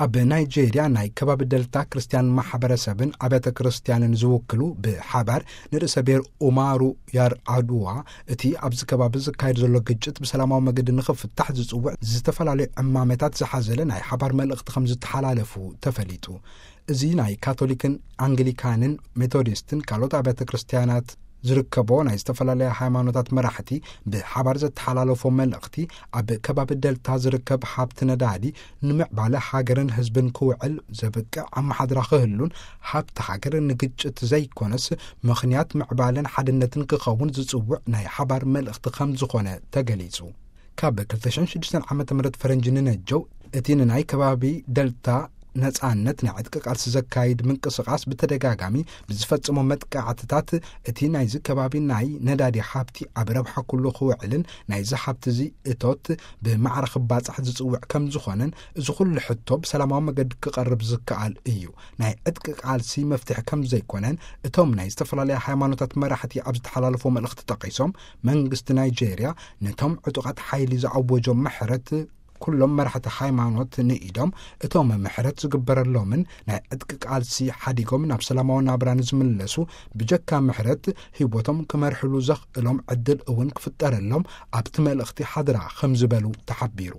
ኣብ ናይጄርያ ናይ ከባቢ ደልታ ክርስትያን ማሕበረሰብን ኣብያተ ክርስትያንን ዝውክሉ ብሓባር ንርእሰ ብሔር ኡማሩ ያር ኣድዋ፣ እቲ ኣብዚ ከባቢ ዝካየድ ዘሎ ግጭት ብሰላማዊ መገዲ ንኽፍታሕ ዝጽውዕ ዝተፈላለዩ ዕማመታት ዝሓዘለ ናይ ሓባር መልእኽቲ ከም ዝተሓላለፉ ተፈሊጡ። እዚ ናይ ካቶሊክን ኣንግሊካንን ሜቶዲስትን ካልኦት ኣብያተ ክርስትያናት ዝርከቦ ናይ ዝተፈላለያ ሃይማኖታት መራሕቲ ብሓባር ዘተሓላለፎ መልእኽቲ፣ ኣብ ከባቢ ደልታ ዝርከብ ሃብቲ ነዳዲ ንምዕባለ ሃገርን ህዝብን ክውዕል ዘብቅዕ ኣመሓድራ ክህሉን፣ ሃብቲ ሃገር ንግጭት ዘይኮነስ ምኽንያት ምዕባለን ሓድነትን ክኸውን ዝጽውዕ ናይ ሓባር መልእኽቲ ከም ዝኾነ ተገሊጹ። ካብ ክልተ ሽሕን ሽዱሽተን ዓመተ ምህረት ፈረንጂ ንነጀው፣ እቲ ንናይ ከባቢ ደልታ ነጻነት ናይ ዕጥቂ ቃልሲ ዘካይድ ምንቅስቓስ ብተደጋጋሚ ብዝፈጽሞ መጥቃዕትታት፣ እቲ ናይዚ ከባቢ ናይ ነዳዲ ሃብቲ ኣብ ረብሓ ኩሉ ክውዕልን ናይዚ ሃብቲ እዚ እቶት ብማዕረ ክባጻሕ ዝጽውዕ ከም ዝኾነን፣ እዚ ኩሉ ሕቶ ብሰላማዊ መገዲ ክቐርብ ዝከኣል እዩ። ናይ ዕጥቂ ቃልሲ መፍትሒ ከም ዘይኮነን እቶም ናይ ዝተፈላለያ ሃይማኖታት መራሕቲ ኣብ ዝተሓላለፎ መልእኽቲ ጠቒሶም፣ መንግስቲ ናይጄርያ ነቶም ዕጡቓት ሓይሊ ዝኣወጆም ምሕረት ኩሎም መራሕቲ ሃይማኖት ንኢዶም፣ እቶም ምሕረት ዝግበረሎምን ናይ ዕጥቂ ቃልሲ ሓዲጎም ናብ ሰላማዊ ናብራ ንዝምለሱ ብጀካ ምሕረት ህይወቶም ክመርሕሉ ዘኽእሎም ዕድል እውን ክፍጠረሎም ኣብቲ መልእኽቲ ሓድራ ከም ዝበሉ ተሓቢሩ።